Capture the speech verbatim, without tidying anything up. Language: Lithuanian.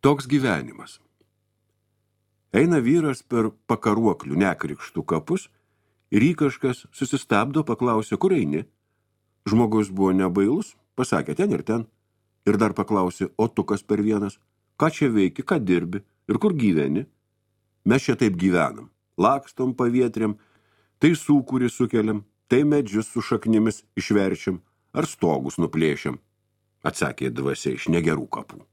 Toks gyvenimas. Eina vyras per pakaruoklių nekrikštų kapus ir jį kažkas susistabdo, paklausė, kur eini. Žmogus buvo nebailus, pasakė ten ir ten. Ir dar paklausė, o tu kas per vienas? Ką čia veiki, ką dirbi ir kur gyveni? Mes čia taip gyvenam. Lakstom pavietriam, tai sūkurį sukeliam, tai medžius su šaknimis išverčiam ar stogus nuplėšiam, atsakė dvasia iš negerų kapų.